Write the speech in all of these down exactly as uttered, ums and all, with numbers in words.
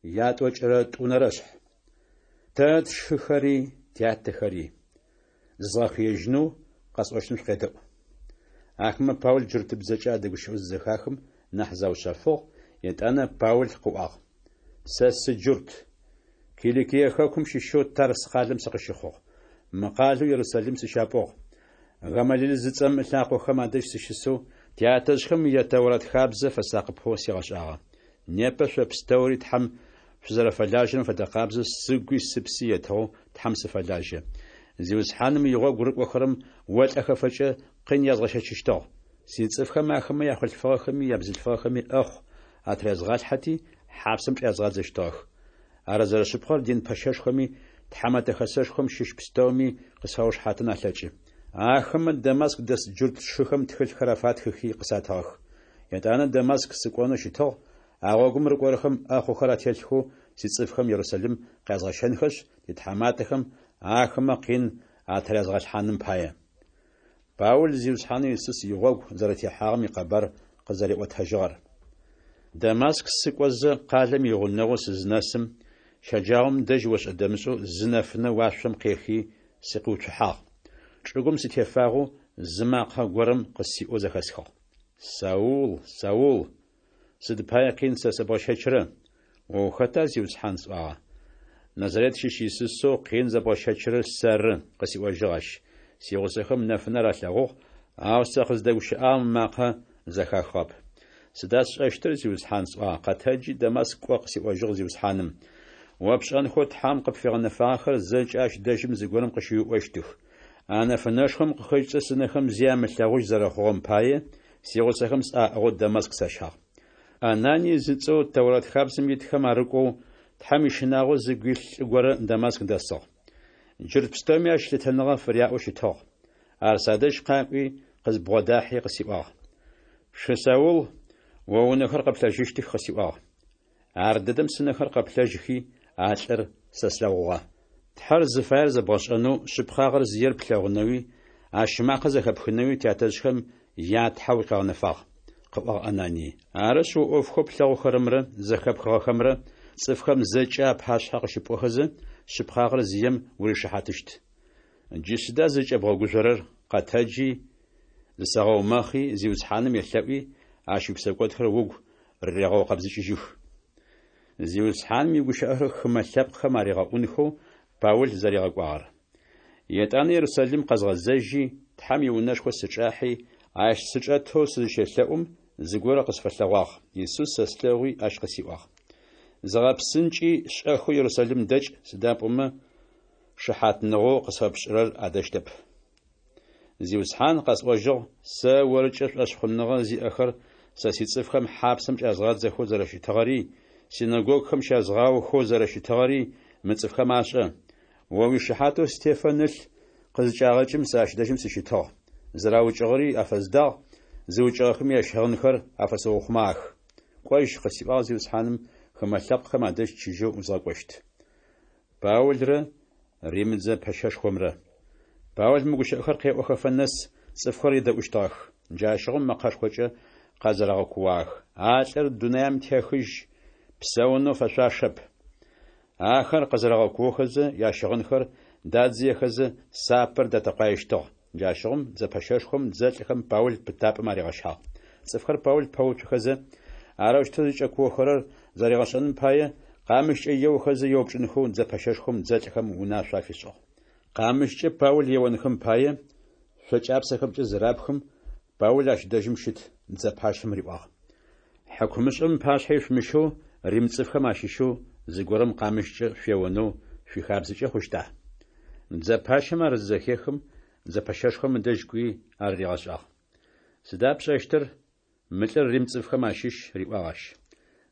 Ятӏокӏырэ тӏунэрэ шъхь. Тэ тшыхэри, тятэхэри! Зызгъэхыежьынэу къэсӏощтым шъукъедэӏу. Ахэмэ Паул джуртыбзэкӏэ адэгущыӏэу зызэхахым, нахь заушъэфыгъ, етӏанэ Паул къыӏуагъ: Сэ сыджурт, Киликие хэкум щыщэу Тарс къалэм сыкъыщыхъугъ. Мы къалэу Ерусалим сыщапӏугъ. Гамалил зыцӏэм ылъакъохэм адэжь сыщысэу, тятэжъхэм я Тэурат хабзэ фэсакъыпэу сигъэшӏагъэ. Непэ шъо пстэури Тхьэм шъузэрэфэлажьэрэм фэдэ къабзэу сыгуи сыпси етыгъэу Тхьэм сыфэлажьэ. Зиусхьаным игъогу рыкӏохэрэм олӏэхэфэкӏэ къин язгъэщэчыщтыгъ. Сицӏыфхэм ахэмэ яхъулъфыгъэхэми ябзылъфыгъэхэми ӏэхъу атырязгъалъхьэти, хьапсэм чӏязгъадзэщтыгъэх. Ар зэрэшъыпкъэр дин пэщэшхоми Тхьэмэтэ Хэсэшхом щыщ пстэуми къысфаушыхьатын алъэкӏы. Ахэмэ Дамаск дэс джурт сшыхэм тхылъхэр афатхыхи къысатыгъэх. Етӏанэ Дамаск сыкӏонэу щытыгъ, а гъогум рыкӏорэхэм ӏэхъухэр ателъхэу сицӏыфхэм Ерусалим къязгъэщэнхэшъ, титхьаматэхэм ахэмэ къин атырязгъэлъхьаным пае. Паул Зиусхьанэу Исус игъогу зэрэтехьагъэм икъэбар къызэриӏотэжьыгъэр. Дамаск сыкӏозэ, къалэм игъунэгъоу сызынэсым, щэджагъом дэжь ошӏэ-дэмышӏэу зы нэфынэ уашъом къехи сыкъиуцухьагъ. Чӏыгум сытефагъэу зы макъэ горэм къысиӏоу зэхэсхыгъ: Саул, Саул, сыд пае къин сэ сэбгъэщэчрэ? О ухэта, Зиусхьан? сӏуагъэ. Назарет щыщ Исусэу къин зэбгъэщэчырэр сэры, къысиӏожьыгъ ащ. Сигъусэхэм нэфынэр алъэгъугъ, ау сэ къыздэгущыӏагъэм ымакъэ зэхахыгъэп. Сыда сшӏэщтыр, Зиусхьан? сӏуагъэ. Къэтэджи, Дамаск кӏо, къысиӏожьыгъ Зиусхьаным. О пшӏэнхэу Тхьэм къыпфигъэнэфагъэхэр зэкӏэ ащ дэжьым зыгорэм къыщыуиӏощтых. А нэфынэшхом къыхэкӏыкӏэ сынэхэм зи амылъэгъужь зэрэхъугъэм пае, сигъусэхэм сӏаӏыгъэу Дамаск сащагъ. Ананий зыцӏэу Тэурат хабзэм итхэм арыкӏоу, Тхьэм ищынагъо зыгу илъ лӏы горэ Дамаск дэсыгъ. Джурт пстэуми ащ лъытэныгъэ фыряӏэу щытыгъ. Ар садэжь къакӏуи, къызбгъодахьи къысиӏуагъ: Шы Саул, о унэхэр къэплъэжьыщтых, къысиӏуагъ. Ардэдэм сынэхэр къэплъэжьхи, а лӏыр сэ слъэгъугъэ. Тхьэр зыфаер зэбгъэшӏэнэу, шъыпкъагъэр зыер плъэгъунэуи, ащ ымакъэ зэхэпхынэуи тятэжъхэм я Тхьэ укъигъэнэфагъ, къыӏуагъ Ананий. Арышъ, о ӏофхэу плъэгъухэрэмрэ зэхэпхыгъэхэмрэ цӏыфхэм зэкӏэ апашъхьэ къыщыпӏохэзэ, шъыпкъагъэр зием уришыхьатыщт. Джы сыда зыкӏэбгъэгужъорэр? Къэтэджи, зысэгъэумэхъи, Зиусхьаным елъэӏуи, ащ уипсэкӏодхэр угу рырегъэукъэбзыкӏыжьых. Зиусхьаным игущыӏэхэр хымэ лъэпкъхэм аригъэӏунхэу Паул зэригъэкӏуагъэр. Етӏанэ Ерусалим къэзгъэзэжьи, Тхьэм иунэшхо сычӏахьи, ащ сычӏэтэу сызыщелъэӏум, зыгорэ къысфэлъэгъуагъ. Исус сэ слъэгъуи, ащ къысиӏуагъ: Зыгъэпсынкӏи, шӏэхэу Ерусалим дэкӏ, сыда пӏомэ шыхьатныгъэу къысфэпшӏырэр адэщтэп. Зиусхьан, къэсӏожьыгъ, сэ орыкӏэ шӏошъхъуныгъэ зиӏэхэр сэ сицӏыфхэм хьапсэм чӏязгъадзэхэу зэрэщытыгъэри, синэгогухэм щязгъаохэу зэрэщытыгъэри мы цӏыфхэм ашӏэ. О уишыхьатэу Стефан ылъ къызыкӏагъэкӏым сэ ащ дэжьым сыщытыгъ. Зэраукӏыгъэри афэздагъ, зыукӏыгъэхэми ящыгъынхэр афэсыухъумагъэх. Кӏожь, къысиӏуагъ Зиусхьаным, хымэ лъэпкъхэм адэжь чыжьэу узгъэкӏощт. Паулрэ Римыдзэ пэщэшхомрэ. Паул мы гущыӏэхэр къеӏохэфэ нэс цӏыфхэр едэӏущтыгъэх. Джащыгъум мэкъэшхокӏэ къэзэрэгъэкууагъэх: А лӏыр дунаим техыжь, псэунэу фэшъуашэп! Ахэр къэзэрэгъэкуохэзэ, ящыгъынхэр дадзыехэзэ, сапэр датэкъуаещтыгъ. Джащыгъум дзэпэщэшхом дзэлӏхэм Паул пытапӏэм аригъэщагъ. Цӏыфхэр Паул пэуцухэзэ, арэущтэу зыкӏэкуохэрэр зэригъэшӏэным пае, къамыщкӏэ еохэзэ еупчӏынхэу дзэпэщэшхом дзэлӏхэм унашъо афишӏыгъ. Къамыщкӏэ Паул еонхэм пае, шъо кӏапсэхэмкӏэ зырапхым, Паул ащ дэжьым щыт дзэ пащэм риӏуагъ: Хьыкумышӏэм ыпашъхьэ ишъумыщэу Рим цӏыфхэм ащыщэу зыгорэм къамыщкӏэ шъуеонэу шъуихабзэкӏэ хъущта? Дзэ пащэм ар зызэхехым, дзэ пэщэшхом ыдэжь кӏуи ар ригъэшӏагъ. Сыда пшӏэщтыр? Мы лӏыр Рим цӏыфхэм ащыщ, риӏуагъ ащ.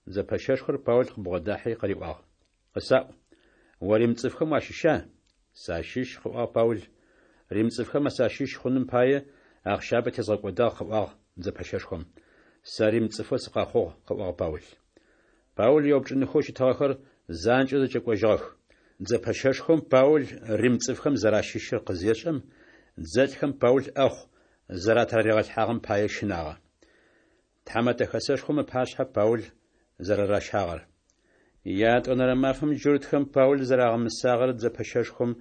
Дзэ пэщэшхор Паул къыбгъодахьи къыриӏуагъ: Къысаӏу, о Рим цӏыфхэм уащыща? Сащыщ, къыӏуагъ Паул. Рим цӏыфхэм сащыщ хъуным пае ахъщабэ тезгъэкӏодагъ, къыӏуагъ дзэ пэщэшхом. Сэ Рим цӏыфэу сыкъэхъугъ, къыӏуагъ Паул. Паул еупчӏынхэу щытыгъэхэр занкӏэу зэкӏэкӏожьыгъэх. Дзэ пэщэшхом Паул Рим цӏыфхэм зэращыщыр къызешӏэм, дзэлӏхэм Паул ӏэхъу зэратыраригъэлъхьагъэм пае щынагъэ. Тхьэмэтэ хэсэшхом ыпашъхьэ Паул зэрэращагъэр. Ятӏонэрэ мафэм джуртхэм Паул зэрагъэмысагъэр дзэ пэщэшхом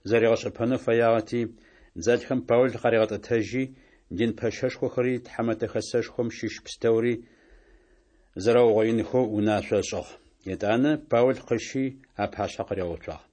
зэригъэшӏэпэнэу фэягъэти, дзэлӏхэм Паул къаригъэтӏэтэжьи, дин пэщэшхохэри Тхьэмэтэ Хэсэшхом щыщ пстэури зэрэугъоинхэу унашъо ышӏыгъ. Етӏанэ Паул къыщи, апашъхьэ къыригъэуцуагъ.